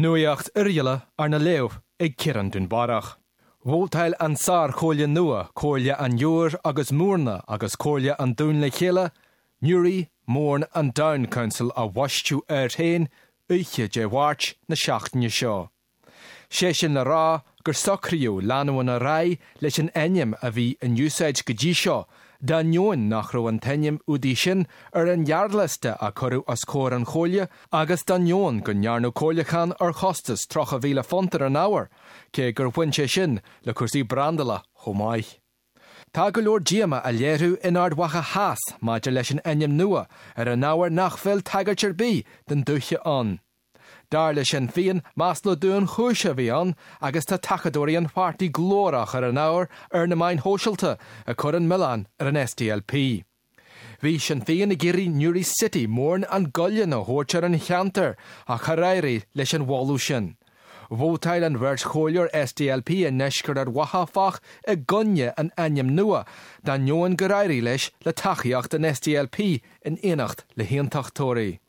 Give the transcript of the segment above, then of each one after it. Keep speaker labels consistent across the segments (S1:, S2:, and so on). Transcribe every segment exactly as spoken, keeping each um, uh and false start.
S1: Nuacht Oirialla arna léamh ag Ciarán Dúnbarrach. Vótáil an sárchomhairle nua Comhairle an Iúir agus Mhúrna agus Comhairle an Dúin le chéile, Newry, Mourne and Down Council a bhaisteadh air féin oíche Dé Máirt na seachtaine seo. Sé sin le rá gur socraíodh leanúint ar aghaidh leis an ainm a bhí in úsáid go dtí seo, d'ainneoin nach raibh an t-ainm údaí sin ar an ghearrliosta a cuireadh os comhair an chomhairle agus d'ainneoin go ndearnadh comhairliúchán ar chostas tríocha mhíle punt ar an ábhar, cé gur bhain sé sin le cúrsaí brandála chomh maith. Tá go leor díomá á léiriú in Ard Mhacha Theas maidir leis an ainm nua ar an ábhar nach bhfuil tagairt ar bith don dúiche ann. Dar le Sinn Féin masla dúnchúise a bhí ann agus tá tacadóirí an pháirtí glórach ar an ábhar ar na meáin shóisialta ag cur an milleán ar an SDLP. Bhí Sinn Féin ag iarraidh Newry City Mourne and Gullion a thabhairt ar an cheantar ach char éirigh leis an mholadh sin. Vótáil an bheirt chomhairleoir SDLP i ndeisceart Ard Mhacha áfach i gcoinne an ainm nua, d'ainneoin gur éirigh leis le tacaíocht an SDLP in éineacht le haontachtóirí.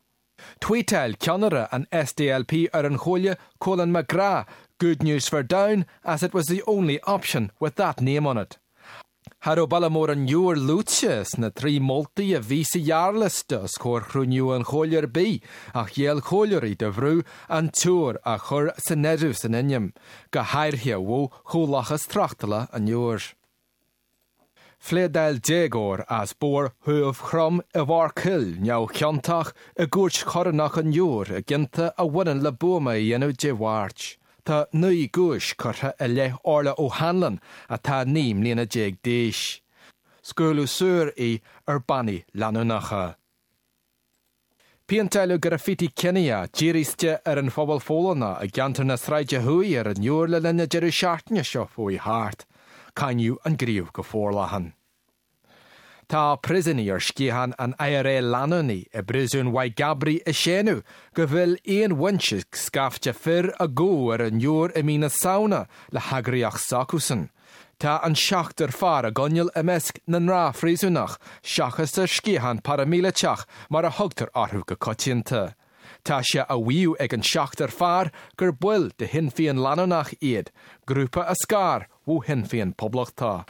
S1: Tweetáil ceannaire an SDLP ar an chomhairle Colin McGrath, good news for Down as it was the only option with that name on it. Cha raibh baile mór an Iúir luaite sna trí moltaí a bhí sa ghearrliosta os comhair chruinniú an chomhairle ar bith ach ghéill comhairleoirí do bhrú an tIúr a chur san áireamh san ainm, go háirithe ó chomhlachas tráchtála an Iúir. Phléadáil déagóir as Bóthar Thuamh Chrom i bhForcill neamhchiontach i gcúirt chorónach an Iúir i gcionta a bhaineann le buama a dhéanamh Dé Máirt. Tá naoi gcúis curtha i leith Orla O'Hanlon atá naoi mbliana déag d'aois. Scaoileadh saor í ar bannaí leanúnacha. Péinteáladh graffiti ciníoch dírithe ar an phobal Pholannach i gceantar na Sráide Thuaidh ar an Iúr le linn na deireadh seachtaine seo chuaigh thart. Cáineadh an gníomh go forleathan. Tá príosúnaigh ar sciathán an IRA leanúnaigh i bpríosún Mhaigh gCabraí ag séanadh go bhfuil aon bhaint ag scaifte fir a gabhadh ar an Iúr i mí na Samhna le heagraíocht s'acusan. Tá an seachtar fear á gcoinneáil i measc na ngnáthphríosúnach seachas ar sciathán paraimíleatach mar a thugtar orthu go coitianta. Tá sé á mhaíomh ag an seachtar fear gur baill de Shinn Féin leanúnach iad, grúpa a scar ó Shinn Féin Poblachtach.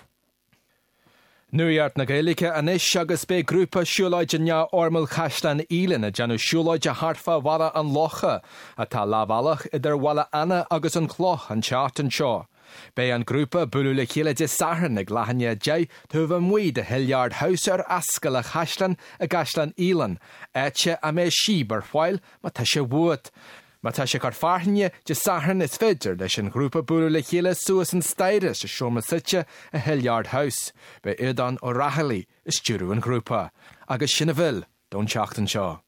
S1: Nuacht na Gaeilge anois agus beidh grúpa siúlóide neamhfhoirmiúil Chaisleán Uidhilín ag déanamh siúlóide thart fá Bhaile an Locha atá leathbhealach idir Bhaile Anna agus an Chloch an tseachtain seo. Beidh an grúpa bualadh le chéile Dé Sathairn ag leath i ndiaidh a deich taobh amuigh de Hilliard House ar Ascaill an Chaisleáin i gCaisleán Uidhilín, áit a mbeidh síob ar fáil má tá sé uait. Má tá sé ag cur fearthainne Dé Sathairn is féidir leis an ghrúpa bualadh le chéile suas an staighre sa seomra suite i Hilliard House, Beidh Aodán Ó Raghallaigh ag stiúradh an ghrúpa, agus sin a bhfuil don tseachtain seo.